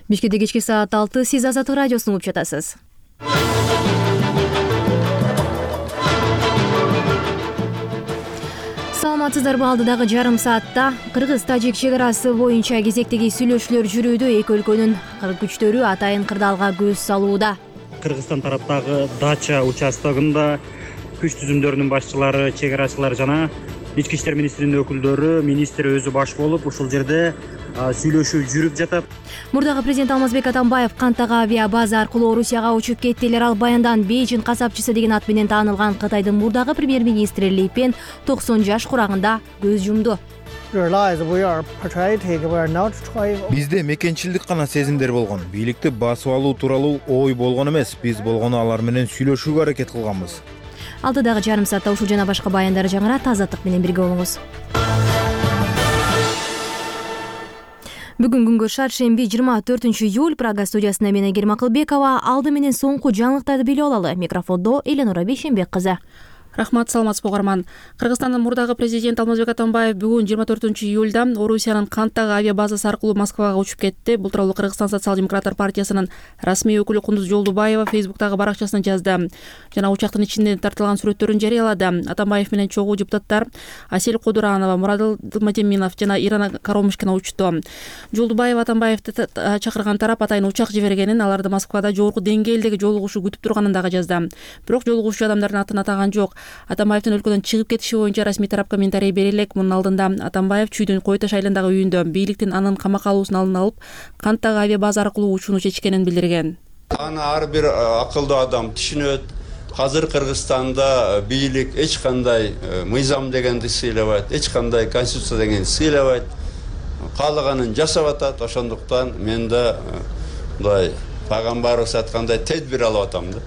Бишкекте кечки саат 6 сиз Азаттык радиосун угуп жатасыз. Саламатсыздарбы? Алдыдагы жарым саатта Кыргыз-Тажик чек арасы боюнча кезектеги сүйлөшүүлөр жүрүүдө. Эки өлкөнүн күчтөрү атайын кырдаалга көз салууда. Кыргызстан тараптагы Дача участогунда күч түзүмдөрүнүн башчылары, чек арачылар жана ички иштер министринин өкүлдөрү, министр өзү баш болуп ушул жерде сүйлөшүү жүрүп жатат. Мурдагы президент Алмазбек Атамбаев кантагы авиа база аркылуу Орусияга учуп кеттилер. Ал баяндан Бейжин касапчысы деген ат менен таанылган Кытайдын мурдагы премьер-министри Ли Пен 90 жаш курагында көз жумду. Бизде мекенчилдик гана сезимдер болгон. Бийликти басып алуу тууралуу ой болгон эмес. Биз болгону алар менен сүйлөшүүгө аракет кылганбыз. Алдыдагы жарым саатта ушул жана башка баяндар жаңырат. Азаттык менен бирге болуңуз. Бүгүн күнгө шаршемби 24-июль. Прага студиясында мен Айгерим Акылбекова. Алды менен соңку жаңылыктарды билип алалы. Микрофондо Эленора Бейшенбек кызы. Рахмат, саламатсызбы угарман. Кыргызстандын мурдагы президент Алмазбек Атамбаев бүгүн 24-июлда Орусиянын Канттагы авиа базасы аркылуу Москвага учуп кетти. Бул тууралуу Кыргызстан социал-демократтар партиясынын расмий өкүлү Кундуз Жолдубаева Фейсбуктагы баракчасына жазды. Жана учактын ичинде тартылган сүрөттөрүн жарыялады. Атамбаев менен чогуу депутаттар Асель Кодуранова, Мурадыл Дылматеминов жана Ирана Каромушкина учту. Жолдубаева Атамбаевди чакырган тарап атайын учак жибергенин, аларды Москвада жогорку деңгээлдеги жолугушуу күтүп турганын дагы жазды. Бирок жолугушуу адамдардын атын атаган жок. Атамбаевдин өлкөдөн чыгып кетиши боюнча расмий тарап комментарий бере элек. Мунун алдында Атамбаев Чүйдүн Кой Таш айылындагы үйүндө бийликтин анын камакка алуусун алдын алып, Канттагы авиа база аркылуу учууну чечкенин билдирген. Аны ар бир акылдуу адам түшүнөт. Азыр Кыргызстанда бийлик эч кандай мыйзам дегенди сыйлабайт, эч кандай конституция дегенди сыйлабайт. Каалаганын жасап атат. Ошондуктан мен да мындай пайгамбарыбыз айткандай тедбир алып атам да.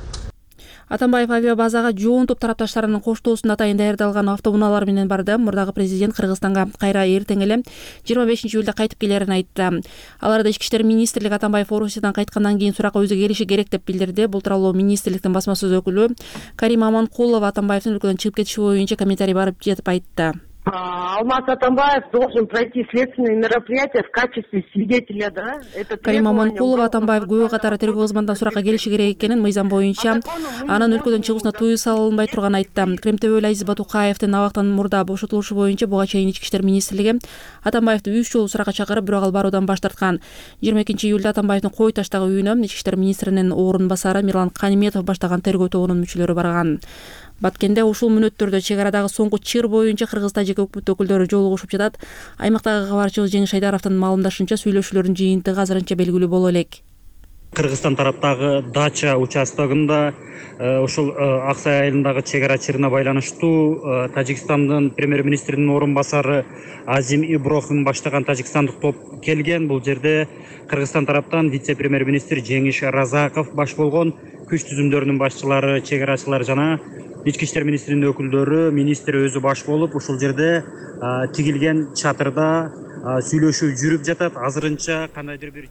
Атамбаев авиа базага жоон топ тарапташтарынын коштоосунда атайын даярдалган автоунаалар менен барды. Мурдагы президент Кыргызстанга кайра эртең эле 25-июлда кайтып келерин айтты. Аларда ички иштер министрлиги Атамбаев Орусиядан кайткандан кийин суракка өзү келиши керек деп билдирди. Бул тууралуу министрликтин басма сөз өкүлү Карима Аманкулова Атамбаевдин өлкөдөн чыгып кетиши боюнча комментарий барып жетип айтты. Алмаз Атамбаев должен пройти следственные мероприятия в качестве свидетеля, да? Карима Аманкулова Атамбаев күбө катары тергөө кызматынан суракка келиши керек экенин, мыйзам боюнча анын өлкөдөн чыгуусуна тыюу салынбай турганын айтты. Кремтөбөл Азиз Батукаевдин абактан мурда бошотулушу боюнча буга чейин ички иштер министрлиги Атамбаевди 3 жолу суракка чакырып, бирок ал баруудан баш тарткан. 22-июлда Атамбаевдин Кой Таштагы үйүнө ички иштер министринин орун басары Мирлан Каниметов баштаган тергөө тобунун мүчөлөрү барган. Баткенде ушул мүнөттөрдө чек арадагы соңку чыр боюнча Кыргыз-Тажик өкмөт өкүлдөрү жолугушуп жатат. Аймактагы кабарчыбыз Жеңиш Айдаровдун маалымдашынча, сүйлөшүүлөрдүн жыйынтыгы азырынча белгилүү боло элек. Кыргызстан тараптагы Дача участогунда ушул Аксай айылындагы чек ара чырына байланыштуу Тажикстандын премьер-министринин орун басары Азим Иброхим баштаган тажикстандык топ келген. Бул жерде Кыргызстан тараптан вице-премьер-министр Жеңиш Разаков баш болгон күч түзүмдөрүнүн башчылары, чек арачылар жана ички иштер министринин өкүлдөрү, министр өзү баш болуп ушул жерде тигилген чатырда сүйлөшүү жүрүп жатат. Азырынча кандайдыр бир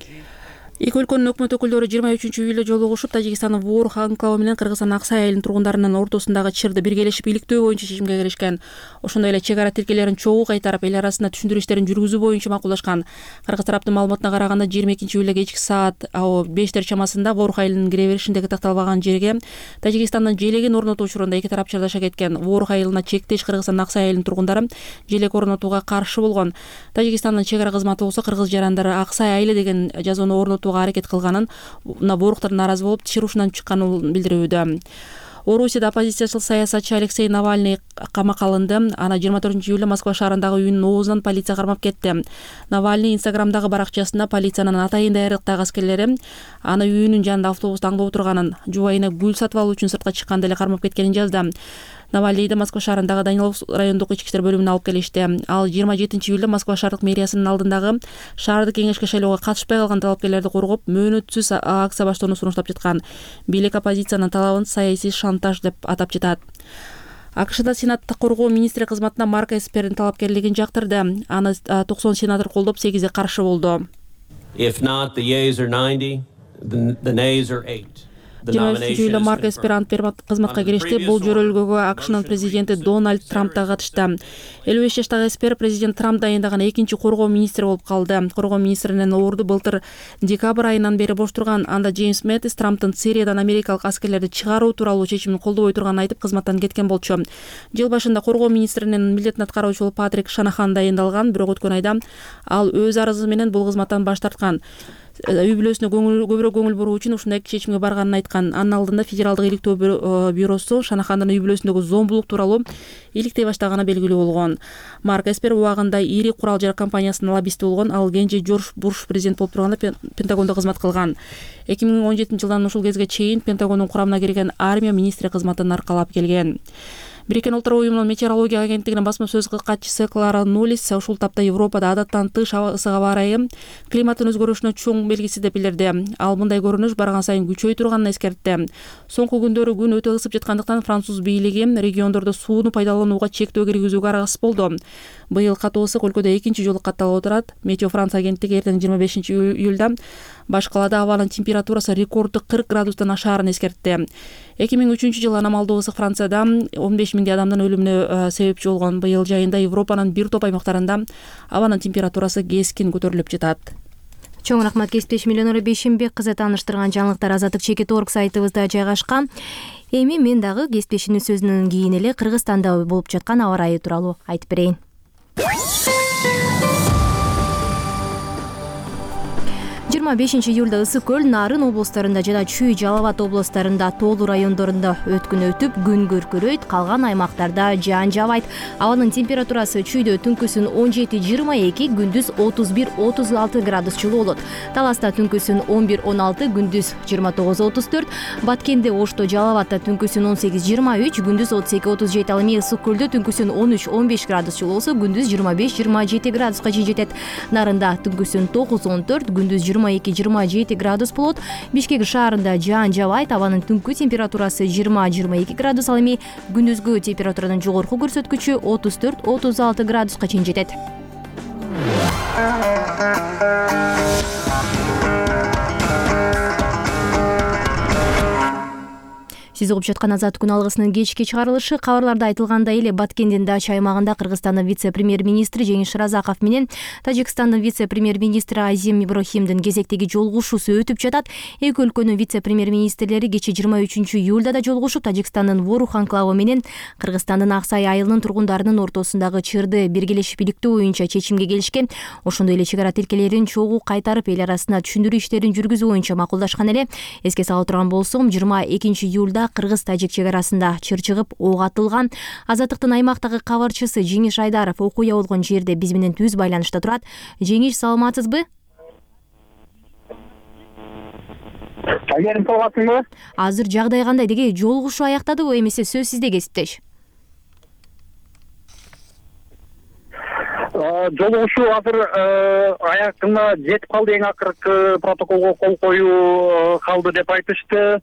Эки өлкөнүн өкмөт өкүлдөрү 23-июлда жолугушуп, Тажикстандын Воорух анклавы менен Кыргызстан Аксай айылынын тургундарынын ортосундагы чырды биргелешип иликтөө боюнча чечимге келишкен. Ошондой эле чек ара тилкелерин чогуу кайтарып, эл арасында түшүндүрүү иштерин жүргүзүү боюнча макулдашкан. Кыргыз тараптын маалыматына караганда 22-июлда кечки саат 5 чамасында Воорух айылынын кире беришиндеги такталбаган жерге Тажикстандын желегин орнотуу учурунда эки тарап чырдаша кеткен. Воорух айылына чектеш Кыргызстандын Аксай айылынын тургундары желек орнотууга каршы болгон. Тажикстандын чек ара кызматы болсо кыргыз жарандары Аксай айылы деген жазууну орнотууга аракет кылганын, Вооруктар нааразы болуп чыр ушунан чыкканын билдирүүдө. Орусияда оппозициячыл саясатчы Алексей Навальный камакка алынды. Аны 24-июлда Москва шаарындагы үйүнүн оозунан полиция кармап кетти. Навальный Инстаграмдагы баракчасына полициянын атайын даярдыктагы аскерлери аны үйүнүн жанында автобуста аңдып отурганын, жубайына гүл сатып алуу үчүн сыртка чыкканда эле кармап кеткенин жазды. Навальныйды Москва шаарындагы Данилов райондук ички иштер бөлүмүнө алып келишти. Ал 27-июлда Москва шаардык мэриясынын алдындагы шаардык кеңешке шайлоого катышпай калган талапкерлерди коргоп, мөөнөтсүз акция баштоону сунуштап жаткан. Бийлик оппозициянын талабын саясий шантаж деп атап жатат. АКШда Сенатта коргоо министри кызматына Марк Эспердин талапкерлигин жактырды. Аны 90 сенатор колдоп, 8 каршы болду. If not, the yeas are 90, the nays are 8. 23-июлда Марк Эспер ант берип кызматка киришти. Бул жөрөлгөгө АКШнын президенти Дональд Трамп да катышты. 55 жаштагы Эспер президент Трамп дайындаган экинчи коргоо министри болуп калды. Коргоо министринин орду былтыр декабрь айынан бери бош турган. Анда Джеймс Мэттис Трамптын Сириядан америкалык аскерлерди чыгаруу тууралуу чечимин колдобой турганын айтып кызматтан кеткен болчу. Жыл башында коргоо министринин милдетин аткаруучу болуп Патрик Шанахан дайындалган, бирок өткөн айда ал өз арызы менен бул кызматтан баш тарткан. Үй бүлөсүнө көбүрөөк көңүл буруу үчүн ушундай чечимге барганын айткан. Анын алдында Федералдык иликтөө бюросу Шанахандын үй бүлөсүндөгү зомбулук тууралуу иликтей баштаганы белгилүү болгон. Марк Эспер убагында ири курал жарак компаниясынын лоббисти болгон. Ал кенже Жорж Буш президент болуп турганда Пентагондо кызмат кылган. 2017-жылдан ушул кезге чейин Пентагондун курамына кирген армия министри кызматын аркалап келген. Бириккен Улуттар уюмунун метеорология агенттигинин басма сөз катчысы Клара Нулис ушул тапта Европада адаттан тыш ысык аба ырайы климаттын өзгөрүшүнө чоң белгиси деп билдирди. Ал мындай көрүнүш барган сайын күчөй турганын эскертти. Соңку күндөрү күн өтө ысып жаткандыктан француз бийлиги региондордо сууну пайдаланууга чектөө киргизүүгө араксыз болду. Быйыл катуу ысык өлкөдө экинчи жолу катталып отурат. Метео Франция агенттиги эртең 25-июлда баш калаада абанын температурасы рекорддук 40 градустан ашаарын эскертти. 2003-жылы аномалдуу ысык Францияда 15 миңдей адамдын өлүмүнө себепчи болгон. Быйыл жайында Европанын бир топ аймактарында абанын температурасы кескин көтөрүлүп жатат. Чоң рахмат кесиптеш Миллионора Бейшимбек кызы тааныштырган жаңылыктар Азаттык.org сайтыбызда жайгашкан. Эми мен дагы кесиптешимдин сөзүнөн кийин эле Кыргызстанда болуп жаткан аба ырайы тууралуу айтып берейин. 25-июлда Ысык көл, Нарын облустарында жана Чүй, Жалал Абад облустарында, Тоолу райондорунда өткүн өтүп, күн көркөрөйт, калган аймактарда жаан жабайт. Абанын температурасы Чүйдө түнкүсүн 17-22, күндүз 31-36 градус жылуу болот. Таласта түнкүсүн 11-16, күндүз 29-34, Баткенде, Ошто, Жалал Абадта түнкүсүн 18-23, күндүз 32-37, ал эми Ысык көлдө түнкүсүн 13-15 градус жылуу болсо, күндүз 25-27 градуска чейин жетет. Нарында түнкүсүн 9-14, күндүз 22-27 градус болот. Бишкек шаарында жаан жабайт, абанын түнкү температурасы 20-22 градус, ал эми күндүзгү температуранын жогорку көрсөткүчү 34-36 градуска чейин жетет. Сиз угуп жаткан Азаттык күн алгысынын кечки чыгарылышы. Кабарларда айтылгандай эле Баткендин Дача аймагында Кыргызстандын вице-премьер-министри Жеңиш Разаков менен Тажикстандын вице-премьер-министри Азим Иброхимдин кезектеги жолугушуусу өтүп жатат. Эки өлкөнүн вице-премьер-министрлери кечээ 23-июлда да жолугушуп, Тажикстандын Ворух анклавы менен Кыргызстандын Аксай айылынын тургундарынын ортосундагы чырды биргелешип иликтөө боюнча чечимге келишкен. Ошондой эле чек ара тилкелерин чогуу кайтарып, эл арасында түшүндүрүү иштерин жүргүзүү боюнча макулдашкан эле. Эске сала турган болсом, 22-июлда кыргыз-тажик чек арасында чыр чыгып, ок атылган. Азаттыктын аймактагы кабарчысы Жеңиш Айдаров окуя болгон жерде биз менен түз байланышта турат. Жеңиш, саламатсызбы? Саламатсызбы? Азыр жагдай кандай? Деги жолугушуу аяктадыбы, эмесе сөз сизде, кесиптеш? Жолугушуу азыр аягына жетип калды. Эң акыркы протоколго кол коюу калды деп айтышты.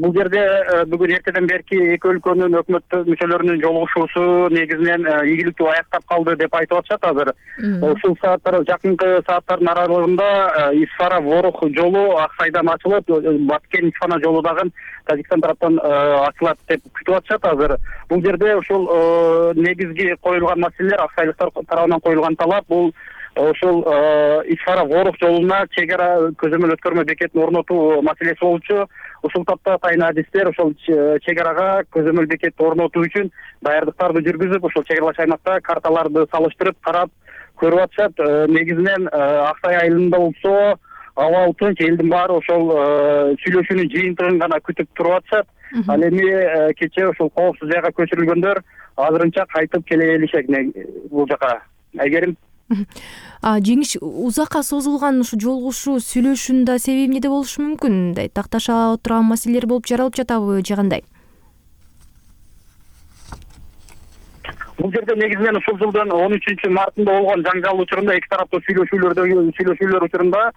Бул жерде бүгүн эртеден берки эки өлкөнүн өкмөт мүчөлөрүнүн жолугушуусу негизинен ийгиликтүү аяктап калды деп айтып атышат азыр. Ушул сааттар, жакынкы сааттардын аралыгында Исфара Ворух жолу Аксайдан ачылып, Баткен Исфана жолу дагы Тажикстан тараптан ачылат деп күтүп атышат азыр. Бул жерде ушул негизги коюлган маселелер, аксайлыктар тарабынан коюлган талап бул ошол Исфара Ворух жолуна чек ара көзөмөл өткөрмө бекетин орнотуу маселеси болчу. Ушул тапта тайын адистер ошол чек арага көзөмөл бекетти орнотуу үчүн даярдыктарды жүргүзүп, ошол чек аралаш аймакта карталарды салыштырып, карап көрүп атышат. Негизинен Аксай айылында болсо абал тынч, элдин баары ошол сүйлөшүүнүн жыйынтыгын гана күтүп туруп атышат. Ал эми кечээ ошол коопсуз жайга көчүрүлгөндөр азырынча кайтып келе элишет бул жака. Айгерим. Жеңиш, узакка созулган ушу жолугушуу сүйлөшүүнүн да себеби эмнеде болушу мүмкүн? Такташа турган маселелер болуп жаралып жатабы же кандай? Бул жерде негизинен ушул жылдын 13-мартында болгон жаңжал учурунда эки тараптуу сүйлөшүүлөр учурунда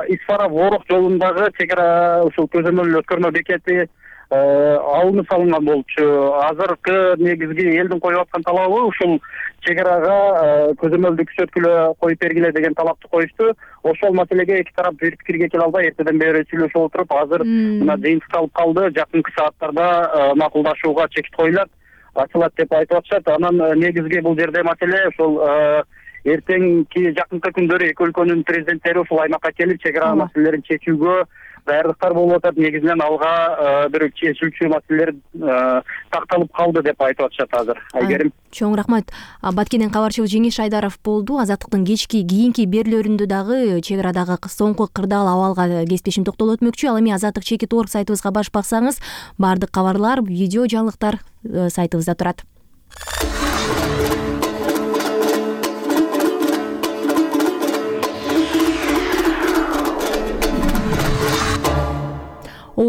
Исфара Ворух жолундагы чек ара ушул көзөмөл өткөрмө бекети алынып салынган болчу. Азыркы негизги элдин коюп аткан талабы ушул чек арага көзөмөлдү күчөткүлө коюп бергиле деген талапты коюшту. Ошол маселеге эки тарап бир пикирге келе албай эртеден бери сүйлөшүп отуруп, азыр мына жыйынтыкталып калды. Жакынкы сааттарда макулдашууга чекит коюлат, ачылат деп айтып атышат. Анан негизги бул жерде маселе ошол эртеңки жакынкы күндөрү эки өлкөнүн президенттери ушул аймакка келип чек ара маселелерин чечүүгө даярдыктар болуп атат. Негизинен алга бир чечилчү маселелер такталып калды деп айтып атышат азыр. Айгерим. Чоң рахмат. Баткенден кабарчыбыз Жеңиш Айдаров болду. Азаттыктын кийинки берүүлөрүндө дагы чек арадагы соңку кырдаал абалга кесиптешим токтолуп өтмөкчү. Ал эми azattik.org сайтыбызга баш баксаңыз, баардык кабарлар, видео жаңылыктар сайтыбызда турат.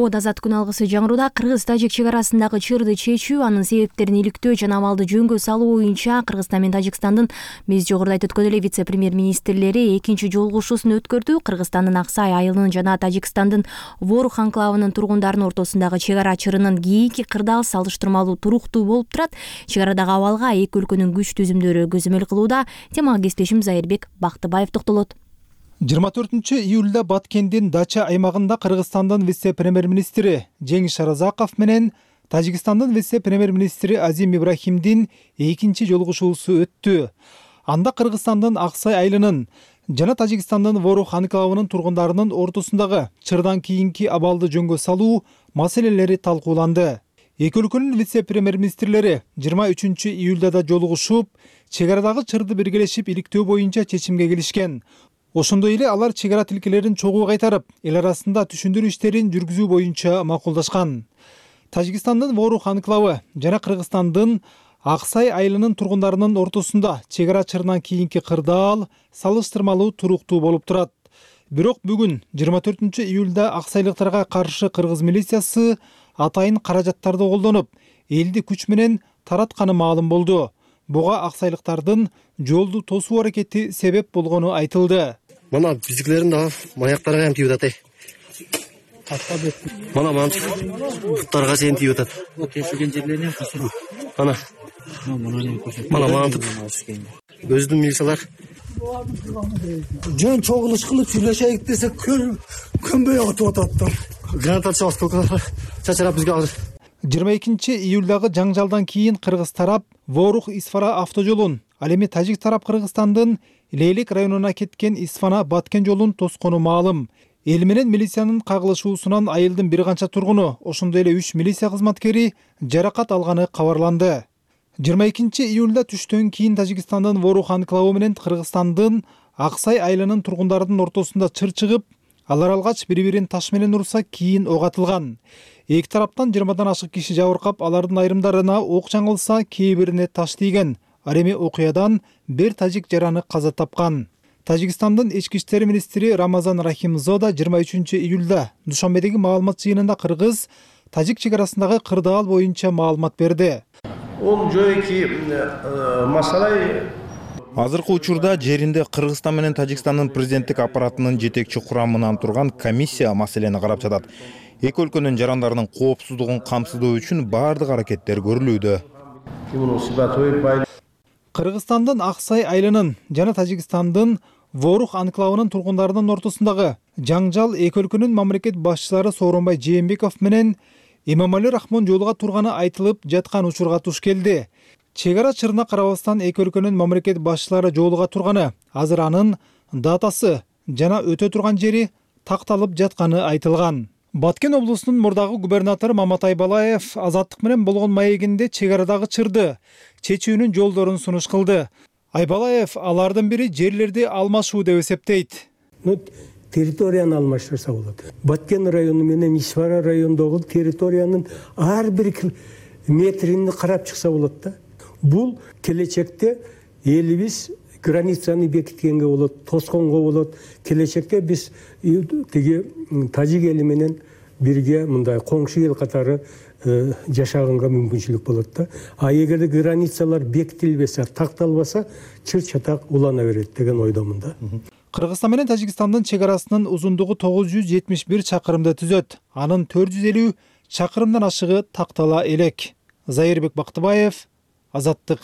Азат күн алгысы жаңыруда кыргыз-тажик чек арасындагы чырды чечүү, анын себептерин иликтөө жана абалды жөнгө салуу боюнча Кыргызстан менен Тажикстандын биз жогоруда айтып өткөн эле вице-премьер-министрлери экинчи жолугушуусун өткөрдү. Кыргызстандын Аксай айылынын жана Тажикстандын Ворух анклавынын тургундарынын ортосундагы чек ара чырынын кийинки кырдаал салыштырмалуу туруктуу болуп турат. Чек арадагы абалга эки өлкөнүн күч түзүмдөрү көзөмөл кылууда. Темага кесиптешим Зайырбек Бактыбаев токтолот. 24-июлда Баткендин Дача аймагында Кыргызстандын вице-премьер-министри Жеңиш Аразаков менен Тажикстандын вице-премьер-министри Азим Ибрахимдин экинчи жолугушуусу өттү. Анда Кыргызстандын Аксай айылынын жана Тажикстандын Ворух анклавынын тургундарынын ортосундагы чырдан кийинки абалды жөнгө салуу маселелери талкууланды. Эки өлкөнүн вице-премьер-министрлери 23-июлда да жолугушуп, чек арадагы чырды биргелешип иликтөө боюнча чечимге келишкен. Ошондой эле алар чек ара тилкелерин чогуу кайтарып, эл арасында түшүндүрүү иштерин жүргүзүү боюнча макулдашкан. Тажикстандын Ворух анклавы жана Кыргызстандын Аксай айылынын тургундарынын ортосунда чек ара чырынан кийинки кырдаал салыштырмалуу туруктуу болуп турат. Бирок бүгүн 24-июлда аксайлыктарга каршы кыргыз милициясы атайын каражаттарды колдонуп, элди күч менен таратканы маалым болду. Буга аксайлыктардын жолду тосуу аракети себеп болгону айтылды. Мана биздикилердин да маяктары кам тийип атат. Мана буттарга чейин тийип атат. Тешилген жерлеринен кысылып. Мана мантып. Өзүнүн милициялар жөн чогулуш кылып сүйлөшөйүк десек көнбөй атып ататтар. Гранаталчы осколкалар чачырап бизге азыр. 22-июлдагы жаңжалдан кийин кыргыз тарап Ворух Исфара автожолун, ал эми тажик тарап Кыргызстандын Лейлик районуна кеткен Исфана Баткен жолун тоскону маалым. Эл менен милициянын кагылышуусунан айылдын бир канча тургуну, ошондой эле 3 милиция кызматкери жаракат алганы кабарланды. 22-июлда түштөн кийин Тажикстандын Ворух анклавы менен Кыргызстандын Аксай айылынын тургундарынын ортосунда чыр чыгып, алар алгач бири-бирин таш менен урса, кийин ок атылган. Эки тараптан 20дан ашык киши жабыркап, алардын айрымдарына ок жаңылса, кээ бирине таш тийген. Ал эми окуядан бир тажик жараны каза тапкан. Тажикстандын ички иштер министри Рамазан Рахимзода 23-июлда Душанбедеги маалымат жыйынында кыргыз тажик чек арасындагы кырдаал боюнча маалымат берди. Азыркы учурда жеринде Кыргызстан менен Тажикстандын президенттик аппаратынын жетекчи курамынан турган комиссия маселени карап жатат. Эки өлкөнүн жарандарынын коопсуздугун камсыздоо үчүн баардык аракеттер көрүлүүдө. Кыргызстандын Аксай айылынын жана Тажикстандын Ворух анклавынын тургундарынын ортосундагы жаңжал эки өлкөнүн мамлекет башчылары Сооронбай Жээнбеков менен Эмомали Рахмон жолуга турганы айтылып жаткан учурга туш келди. Чек ара чырына карабастан эки өлкөнүн мамлекет башчылары жолуга турганы, азыр анын датасы жана өтө турган жери такталып жатканы айтылган. Баткен облусунун мурдагы губернатору Мамат Айбалаев Азаттык менен болгон маегинде чек арадагы чырды чечүүнүн жолдорун сунуш кылды. Айбалаев алардын бири жерлерди алмашуу деп эсептейт. Территорияны алмаштырса болот. Баткен району менен Исфара районундагы территориянын ар бир метрин карап чыкса болот да. Бул келечекте элибиз границаны бекиткенге болот, тосконго болот. Келечекте биз тиги тажик эли менен бирге мындай коңшу эл катары жашаганга мүмкүнчүлүк болот да. А эгерде границалар бекитилбесе, такталбаса, чыр-чатак улана берет деген ойдомун да. Кыргызстан менен Тажикстандын чек арасынын узундугу 971 чакырымды түзөт. Анын 450 чакырымдан ашыгы тактала элек. Зайырбек Бактыбаев, Азаттык.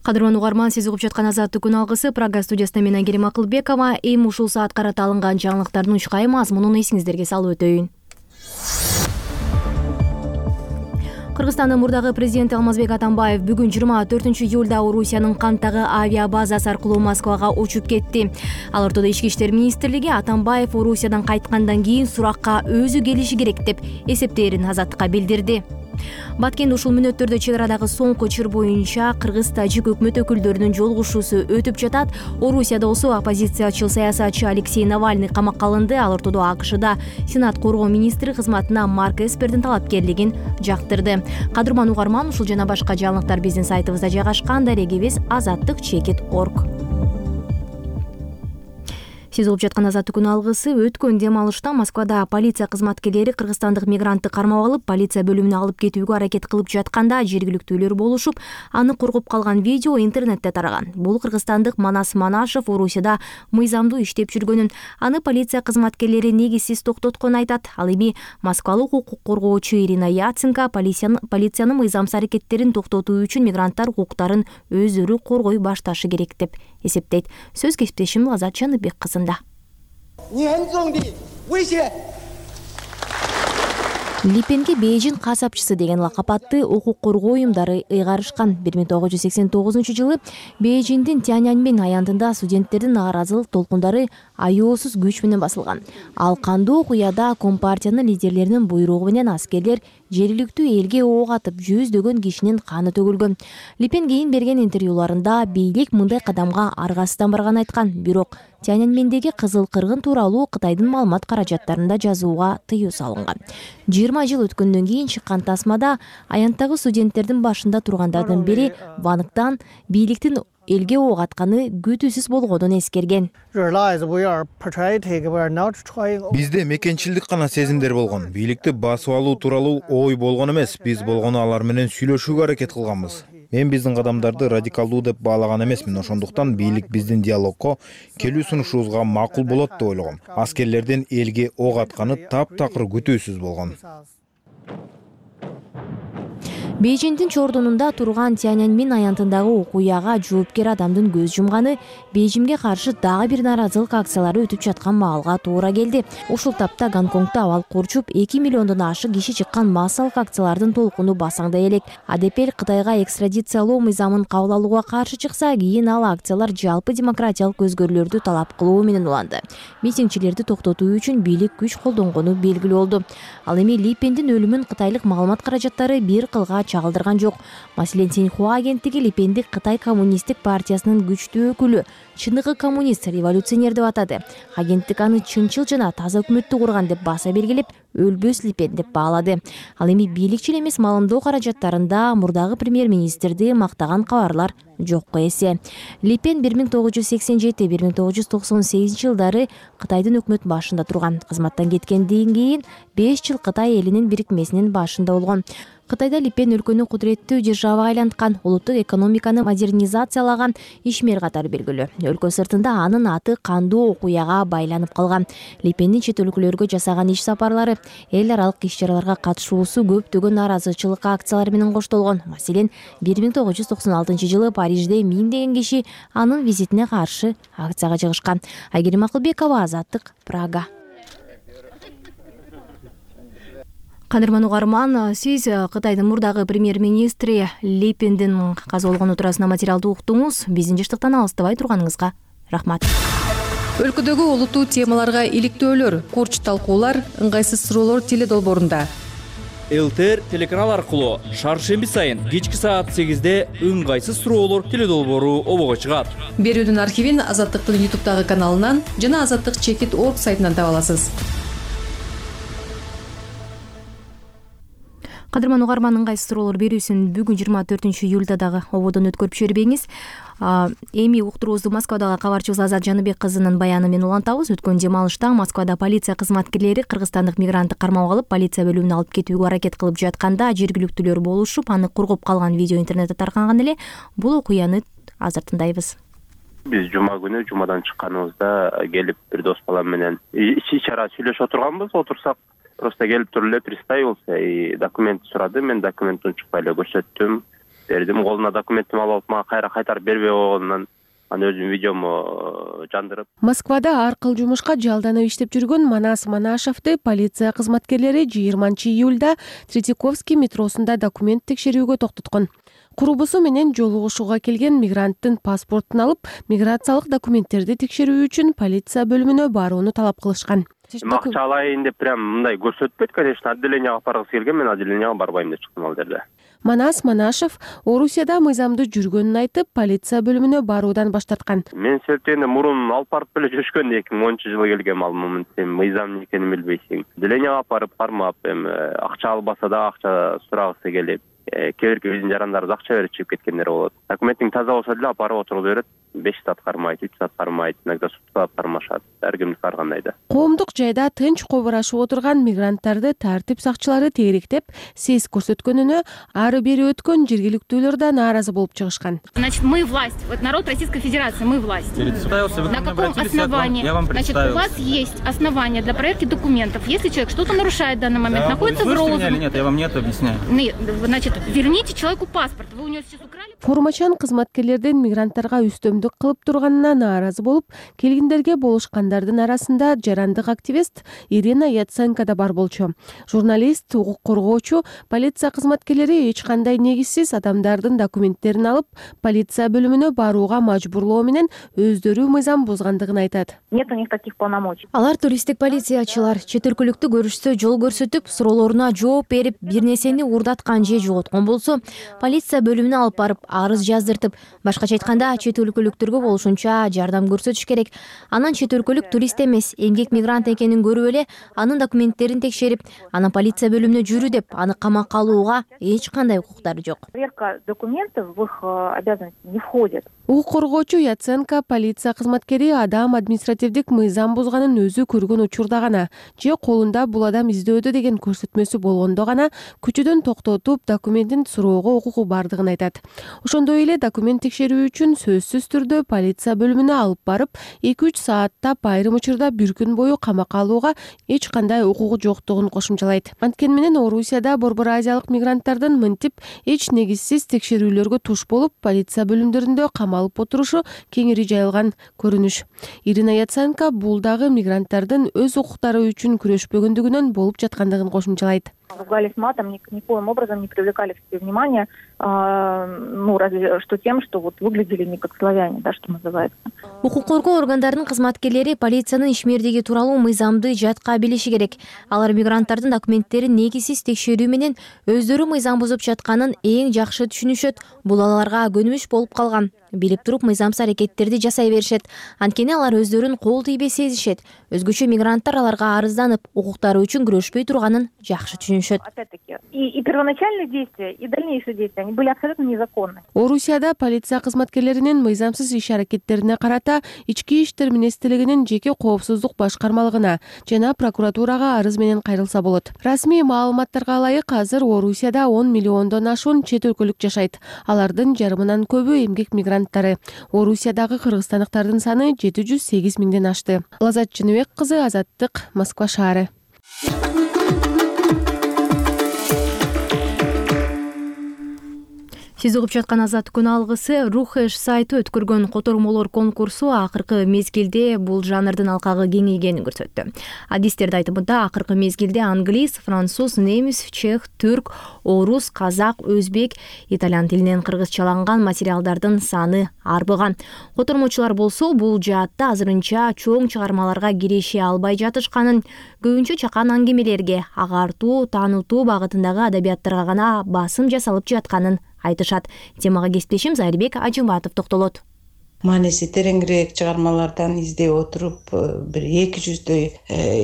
Кадырман угарман, сиз угуп жаткан Азаттык күн алгысы. Прага студиясында мен Айгерим Акылбекова. Эми ушул саат карата алынган жаңылыктардын учкай мазмунун эсиңиздерге салып өтөйүн. Кыргызстандын мурдагы президенти Алмазбек Атамбаев бүгүн 24 июлда Орусиянын Канттагы авиа базасы аркылуу Москвага учуп кетти. Ал ортодо Ички иштер министрлиги Атамбаев Орусиядан кайткандан кийин суракка өзү келиши керек деп эсептээрин Азаттыкка билдирди. Баткенде ушул мүнөттөрдө чек арадагы соңку чыр боюнча кыргыз-тажик өкмөт өкүлдөрүнүн жолугушуусу өтүп жатат. Орусияда болсо оппозициячыл саясатчы Алексей Навальный камакка алынды. Ал ортодо АКШда Сенат коргоо министри кызматына Марк Эспердин талапкерлигин жактырды. Кадырман угарман, ушул жана башка жаңылыктар биздин сайтыбызда жайгашкан. Дарегибиз azattik.org. Сиз угуп жаткан Азаттык күн алгысы. Өткөн дем алышта Москвада полиция кызматкерлери кыргызстандык мигрантты кармап алып, полиция бөлүмүнө алып кетүүгө аракет кылып жатканда жергиликтүүлөр болушуп, аны коргоп калган видео интернетте тараган. Бул кыргызстандык Манас Манашев Орусияда мыйзамдуу иштеп жүргөнүн, аны полиция кызматкерлери негизсиз токтотконун айтат. Ал эми Москвалык укук коргоочу Ирина Яценко полициянын мыйзамсыз аракеттерин токтотуу үчүн мигранттар укуктарын өздөрү коргой башташы керек деп эсептейт. Сөз кесиптешим Азат Жаныбек кызында. Липенге Бейжин касапчысы деген лакап атты укук коргоо уюмдары ыйгарышкан. 1989 жылы Бейжиндин Тяньаньмэнь аянтында студенттердин нааразылык толкундары аяосуз күч менен басылган. Ал кандуу окуяда компартиянын лидерлеринин буйругу менен аскерлер жергиликтүү элге ок атып, жүздөгөн кишинин каны төгүлгөн. Липен кийин берген интервьюларында бийлик мындай кадамга аргасыздан барганын айткан. Бирок Тяньаньмэндеги кызыл кыргын тууралуу Кытайдын маалымат каражаттарында жазууга тыюу салынган. 20 жыл өткөндөн кийин чыккан тасмада аянттагы студенттердин башында тургандардын бири Вангтан бийликтин элге ок атканы күтүүсүз болгонун эскерген. Бизде мекенчилдик гана сезимдер болгон. Бийликти басып алуу тууралуу ой болгон эмес. Биз болгону алар менен сүйлөшүүгө аракет кылганбыз. Мен биздин кадамдарды радикалдуу деп баалаган эмесмин. Ошондуктан бийлик биздин диалогко келүү сунушубузга макул болот деп ойлогом. Аскерлердин элге ок атканы таптакыр күтүүсүз болгон. Бейжиндин чордунунда турган Тяньаньмэнь аянтындагы окуяга жоопкер адамдын көз жумганы Бейжимге каршы дагы бир нааразылык акциялары өтүп жаткан маалга туура келди. Ушул тапта Гонконгдо абал курчуп 2 миллиондон ашык киши чыккан массалык акциялардын толкуну басаңдай элек. АДП Кытайга экстрадициялоо мыйзамын кабыл алууга каршы чыкса, кийин ал акциялар жалпы демократиялык өзгөрүүлөрдү талап кылуу менен уланды. Митингчилерди токтотуу үчүн бийлик күч колдонгону белгилүү болду. Ал эми Липендин өлүмүн кытайлык маалымат каражаттары бир кылга чагылдырган жок. Маселен, Синьхуа агенттиги Липенди Кытай коммунисттик партиясынын күчтүү өкүлү, чыныгы коммунист, революционер деп атады. Агенттик аны чынчыл жана таза өкмөттү курган деп баса белгилеп, өлбөс Липен деп баалады. Ал эми бийликчил эмес маалымдоо каражаттарында мурдагы премьер-министрди мактаган кабарлар жокко эсе. Липен 1987-1998 жылдары Кытайдын өкмөт башында турган. Кызматтан кеткенден кийин 5 жыл Кытай элинин бирикмесинин башында болгон. Кытайда Липен өлкөнү кудуреттүү державага айланткан, улуттук экономиканы модернизациялаган ишмер катары белгилүү. Өлкө сыртында анын аты кандуу окуяга байланып калган. Липендин чет өлкөлөргө жасаган иш сапарлары, эл аралык иш-чараларга катышуусу көптөгөн нааразычылык акциялары менен коштолгон. Маселен, 1996 жылы Парижде 1000 киши анын визитине каршы акцияга чыгышкан. Айгерим Акылбекова, Азаттык, Прага. Кадырман угарман, сиз Кытайдын мурдагы премьер-министри Липендин каза болгону туурасында материалды уктуңуз. Биздин жаштыктан алыстабай турганыңызга рахмат. Өлкөдөгү олуттуу темаларга иликтөөлөр, курч талкуулар, ыңгайсыз суроолор теледолбоорунда. ЛТР телеканал аркылуу шаршемби сайын кечки саат 8-де ыңгайсыз суроолор теледолбоору обого чыгат. Берүүнүн архивин Азаттыктын YouTube'дагы каналынан жана azattik.org сайтынан таба аласыз. Кадырман угарман, ыңгайсыз суроолор берүүсүн бүгүн 24 июлда дагы ободон өткөрүп жибербеңиз. Эми уктуруубузду Москвадагы кабарчыбыз Азат Жаныбек кызынын баяны менен улантабыз. Өткөн дем алышта Москвада полиция кызматкерлери кыргызстандык мигрантты кармап алып, полиция бөлүмүнө алып кетүүгө аракет кылып жатканда жергиликтүүлөр болушуп, аны коргоп калган видео интернетте таркаган эле. Бул окуяны азыр тындайбыз. Биз жума күнү жумадан чыкканыбызда келип бир дос балам менен ич чара сүйлөшүп отурганбыз. Отурсак просто келип туруп эле представился и документ сурады. Мен документти унчукпай эле көрсөттүм, бердим. Колуна документимди алып алып, мага кайтарып бербей койгонунан анан өзүм видеому жандырып. Москвада ар кыл жумушка жалданып иштеп жүргөн Манас Манашевди полиция кызматкерлери 20-июлда Третьяковский метросунда документ текшерүүгө токтоткон. Курбусу менен жолугушууга келген мигранттын паспортун алып, миграциялык документтерди текшерүү үчүн полиция бөлүмүнө барууну талап кылышкан. Акча алайын деп прям мындай көрсөтпөйт, конечно, отделенияга баргысы келген, мен отделенияга барбайм деп чыктым ал жерде. Манас Манашев Орусияда мыйзамдуу жүргөнүн айтып, полиция бөлүмүнө баруудан баш тарткан. Мен себептегенде мурун алып барып эле жүрүшкөн, 2010-жылы келгем, ал момент сен мыйзам эмне экенин билбейсиң. Отделенияга барып кармап, акча албаса да акча сурагысы келип, кээ бирки биздин жарандарыбыз акча берип чыгып кеткендер болот. Документиң таза болсо деле апарып отуруп берет. 5 саат кармайт, 3 саат кармайт, иногда суткалап кармашат. Ар кимди каргандай да. Коомдук жайда тынч кобурашып отурган мигранттарды тартип сакчылары тегеректеп, сес көрсөткөнүнө ары бери өткөн жергиликтүүлөр да нааразы болуп чыгышкан. Значит, мы власть. Вот народ Российской Федерации, мы власть. На каком основании? Значит, у вас есть основания для проверки документов. Если человек что-то нарушает в данный момент, находится в розыске. Или нет, я вам нет объясняю. Нет, значит, верните человеку паспорт. Вы у него сейчас украли. Форумачан кызматкерлердин мигранттарга үстөмдүк кылып турганына нааразы болуп, келгендерге болушкандардын арасында жарандык активист Ирина Яценко да бар болчу. Журналист, укук коргоочу, полиция кызматкерлери эч кандай негизсиз адамдардын документтерин алып, полиция бөлүмүнө барууга мажбурлоо менен өздөрү мыйзам бузгандыгын айтат. Нет у них таких полномочий. Алар туристтик полициячылар чет өлкөлүктү көрүшсө жол көрсөтүп, суроолоруна жооп берип, бир нерсени уурдаткан же жоготкон болсо, полиция бөлүмүнө алып барып арыз жаздыртып, башкача айтканда чет өлкөлүктөргө болушунча жардам көрсөтүш керек. Анан чет өлкөлүк турист эмес, эмгек мигрант экенин көрүп эле, анын документтерин текшерип, анан полиция бөлүмүнө жүрү деп, аны камакка алууга эч кандай укуктары жок. Проверка документов в их обязанности не входит. Укук коргоочу Яценко полиция кызматкери адам административдик мыйзам бузганын өзү көргөн учурда гана же колунда бул адам издөөдө деген көрсөтмөсү болгондо гана күчүдөн токтотуп документин суроого укугу бардыгын айтат. Ошондой эле документ текшерүү үчүн сөзсүз түрдө полиция бөлүмүнө алып барып 2-3 сааттап айрым учурда бир күн бою камакка алууга эч кандай укугу жоктугун кошумчалайт. Анткени менен Орусияда Борбор Азиялык мигранттардын мынтип эч негизсиз текшерүүлөргө туш болуп, полиция бөлүмдөрүндө камалып отурушу кеңири жайылган көрүнүш. Ирина Яценко бул дагы мигранттардын өз укуктары үчүн күрөшпөгөндүгүнөн болуп жаткандыгын кошумчалайт. Ругались матом, никоим образом не привлекали к себе внимания, разве что тем, что вот выглядели не как славяне, да, что называется. Укук коргоо органдарынын кызматкерлери полициянын ишмердиги тууралуу мыйзамды жатка билиши керек. Алар мигранттардын документтерин негизсиз текшерүү менен өздөрү мыйзам бузуп жатканын эң жакшы түшүнүшөт. Бул аларга көнүмүш болуп калган. Билип туруп мыйзамсыз аракеттерди жасай беришет. Анткени алар өздөрүн кол тийбей сезишет. Өзгөчө мигранттар аларга арызданып, укуктары үчүн күрөшпөй турганын жакшы түшүнүшөт. Опять-таки, и первоначальные действия, и дальнейшие действия, они были абсолютно незаконны. Орусияда полиция кызматкерлеринин мыйзамсыз иш аракеттерине карата ички иштер министрлигинин жеке коопсуздук башкармалыгына жана прокуратурага арыз менен кайрылса болот. Расмий маалыматтарга ылайык азыр Орусияда 10 миллиондон ашуун чет өлкөлүк жашайт. Алардын жарымынан көбү эмгек мигранттары. Орусиядагы кыргызстандыктардын саны 708 миңден ашты. Лазат Чыныбек кызы, Азаттык, Москва шаары. Сиз угуп жаткан Азаттык күн алгысы Рухеш сайты өткөргөн котормолор конкурсу акыркы мезгилде бул жанрдын алкагы кеңейгенин көрсөттү. Адистердин айтымында акыркы мезгилде англис, француз, немис, чех, түрк, орус, казак, өзбек, итальян тилинен кыргызчаланган материалдардын саны арбыган. Котормочулар болсо бул жаатта азырынча чоң чыгармаларга кирише албай жатышканын, көбүнчө чакан аңгемелерге, агартуу, таанытуу багытындагы адабияттарга гана басым жасалып жатканын айтышат. Темага кесиптешим Зайырбек Ажымбатов токтолот. Мааниси тереңирээк чыгармалардан издеп отуруп, бир 200дөй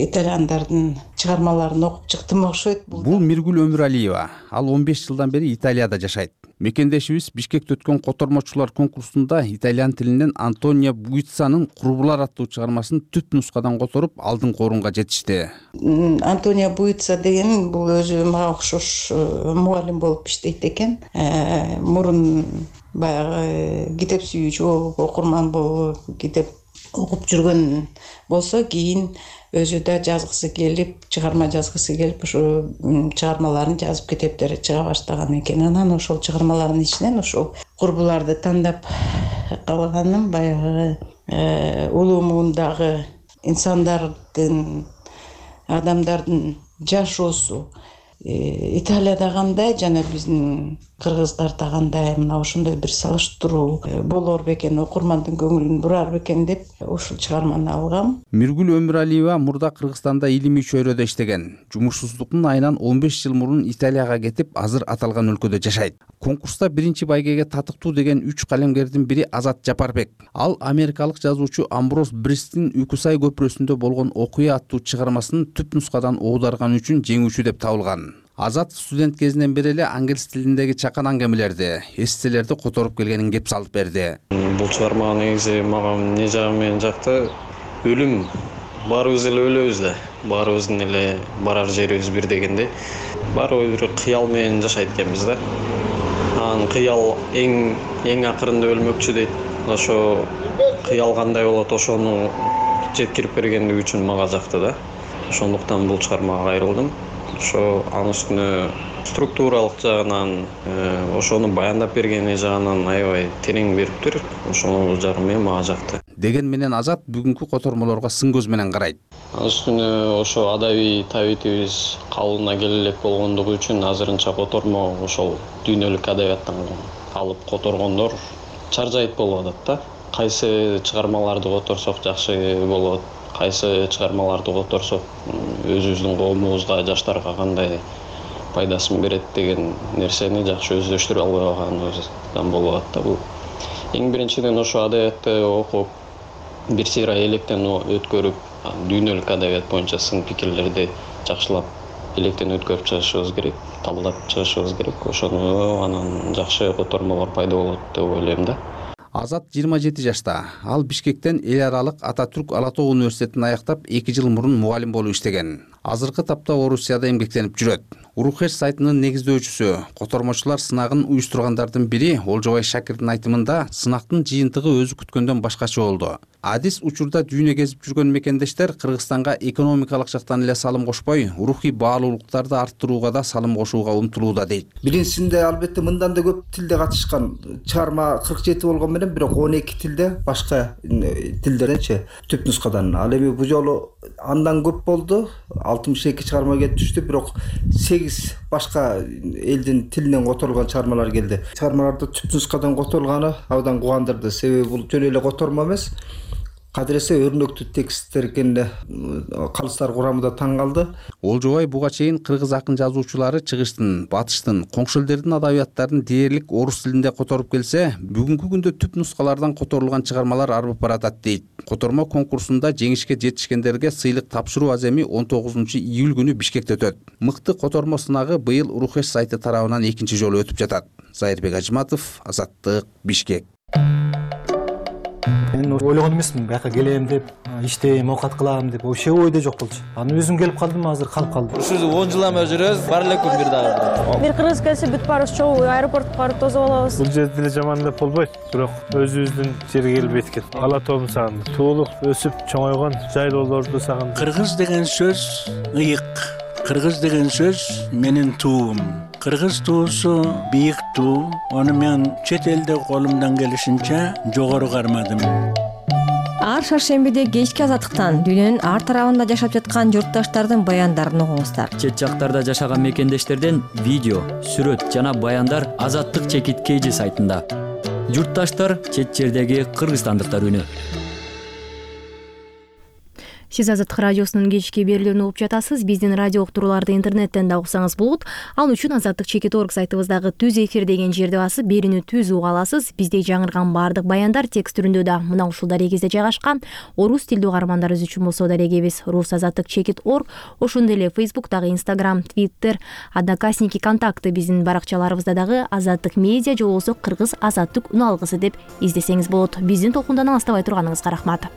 итальяндардын чыгармаларын окуп чыктым окшойт. Бул Миргүл Өмүралиева. Ал 15 жылдан бери Италияда жашайт. Мекендешибиз Бишкекте өткөн котормочулар конкурсунда итальян тилинен Антонио Буиццанын Курбулар аттуу чыгармасын түп нускадан которуп, алдыңкы орунга жетишти. Антонио Буицца деген бул өзү мага окшош мугалим болуп иштейт экен. Мурун баягы китеп сүйүүчү болуп, окурман болуп, китеп окуп жүргөн болсо, кийин өзү да жазгысы келип, чыгарма жазгысы келип, ошо чыгармаларын жазып китептери чыга баштаган экен. Анан ошол чыгармалардын ичинен ошол курбуларды тандап калганым баягы улуу муундагы инсандардын, адамдардын жашоосу Италияда кандай жана биздин кыргыздарда кандай, мына ошондой бир салыштыруу болор бекен, окурмандын көңүлүн бурар бекен деп ушул чыгарманы алгам. Миргүл Өмүралиева мурда Кыргызстанда илимий чөйрөдө иштеген. Жумушсуздуктун айынан 15 жыл мурун Италияга кетип, азыр аталган өлкөдө жашайт. Конкурста биринчи байгеге татыктуу деген 3 калемгердин бири Азат Жапарбек. Ал америкалык жазуучу Амброс Бристин Үкүсай көпүрөсүндө болгон окуя аттуу чыгармасын түп нускадан оодарган үчүн жеңүүчү деп табылган. Азат студент кезинен бери эле англис тилиндеги чакан аңгемелерди, эсселерди которуп келгенин кеп салып берди. Бул чыгарма негизи мага эмне жагы менен жакты? Өлүм, баарыбыз эле өлөбүз да, баарыбыздын эле барар жерибиз бир дегенде, баарыбыз бир кыял менен жашайт экенбиз да. Анан кыял эң акырында өлмөкчү дейт. Ошо кыял кандай болот, ошону жеткирип бергендиги үчүн мага жакты да. Ошондуктан бул чыгармага кайрылдым. Ошо анын үстүнө структуралык жагынан, ошону баяндап бергени жагынан аябай терең бериптир. Ошол жагы менен мага жакты. Деген менен Азат бүгүнкү котормолорго сын көз менен карайт. Анын үстүнө ошо адабий табитибиз калыбына келе элек болгондугу үчүн азырынча котормо ошол дүйнөлүк адабияттан алып которгондор чаржайт болуп атат да. Кайсы чыгармаларды которсок жакшы болот, кайсы чыгармаларды которсок өзүбүздүн коомубузга, жаштарга кандай пайдасын берет деген нерсени жакшы өздөштүрө албай калганыбыздан болуп атат да. Бул эң биринчиден ошо адабиятты окуп, бир сыйра электен өткөрүп, дүйнөлүк адабият боюнча сын пикирлерди жакшылап электен өткөрүп чыгышыбыз керек, талдап чыгышыбыз керек. Ошону анан жакшы котормолор пайда болот деп ойлойм да. Азат 27 жашта. Ал Бишкектен эл аралык Ататүрк Ала Тоо университетин аяктап 2 жыл мурун мугалим болуп иштеген. Азыркы тапта Орусияда эмгектенип жүрөт. Урухеш сайтынын негиздөөчүсү, котормочулар сынагын уюштургандардын бири Олжобай Шакирдин айтымында сынактын жыйынтыгы өзү күткөндөн башкача болду. Адис учурда дүйнө кезип жүргөн мекендештер Кыргызстанга экономикалык жактан эле салым кошпой, рухий баалуулуктарды арттырууга да салым кошууга умтулууда дейт. Биринчисинде албетте мындан да көп тилде катышкан. Чыгарма 47 болгон менен бирок 12 тилде, башка тилдерденчи түп нускадан. Ал эми бул жолу андан көп болду. 62 чыгарма келип түштү, бирок 8 башка элдин тилинен которулган чыгармалар келди. Чыгармаларды түп нускадан которулганы абдан кубандырды. Себеби бул жөн эле котормо эмес, кадыресе өрнөктүү тексттер экенине калыстар курамында таң калды. Олжобай буга чейин кыргыз акын жазуучулары чыгыштын, батыштын, коңшу элдердин адабияттарын дээрлик орус тилинде которуп келсе, бүгүнкү күндө түп нускалардан которулган чыгармалар арбып баратат дейт. Котормо конкурсунда жеңишке жетишкендерге сыйлык тапшыруу аземи 19 июль күнү Бишкекте өтөт. Мыкты котормо сынагы быйыл Урухеш сайты тарабынан экинчи жолу өтүп жатат. Зайырбек Ажматов, Азаттык, Бишкек. Мен ойлогон эмесмин, бияка келем деп, иштейм, оокат кылам деп, вообще ойдо жок болчу. Анан өзүм келип калдым, азыр калып калдым. Ушул 10 жылдан бери жүрөбүз, бар эле күн бир дагы. Бир кыргыз келсе бүт баарыбыз чогуу аэропортко барып тосуп алабыз. Бул жерде деле жаман деп болбойт, бирок өзүбүздүн жерге келип эткет. Ала тоом сагындым. Туулуп, өсүп, чоңойгон жайлоолорду сагындым. Кыргыз деген сөз ыйык. Кыргыз деген сөз менин туум. Кыргыз туусу бийик туу. Аны мен чет элде колумдан келишинче жогору кармадым. Ар шаршембиде кечки азаттыктан дүйнөнүн ар тарабында жашап жаткан журтташтардын баяндарын угуңуздар. Чет жактарда жашаган мекендештерден видео, сүрөт жана баяндар Азаттык чекит KG сайтында. Журтташтар чет жердеги кыргызстандыктар үнү. Сиз Азаттык радиосунун кечки берүүлөрүн угуп жатасыз. Биздин радио уктурууларды интернеттен да уксаңыз болот. Ал үчүн azattikchekit.org сайтыбыздагы түз эфир деген жерди басып, берүүнү түз уга аласыз. Бизде жаңырган баардык баяндар текст түрүндө да мына ушул дарегибизде жайгашкан. Орус тилдүү угармандарыбыз үчүн болсо дарегибиз rus@azattikchekit.org. Ошондой эле Facebook-дагы, Instagram, Twitter, Одноклассники, Контакты биздин баракчаларыбызда дагы Азаттык медиа же болбосо Кыргыз Азаттык үн алгысы деп издесеңиз болот. Биздин толкундан алыстабай турганыңызга рахмат.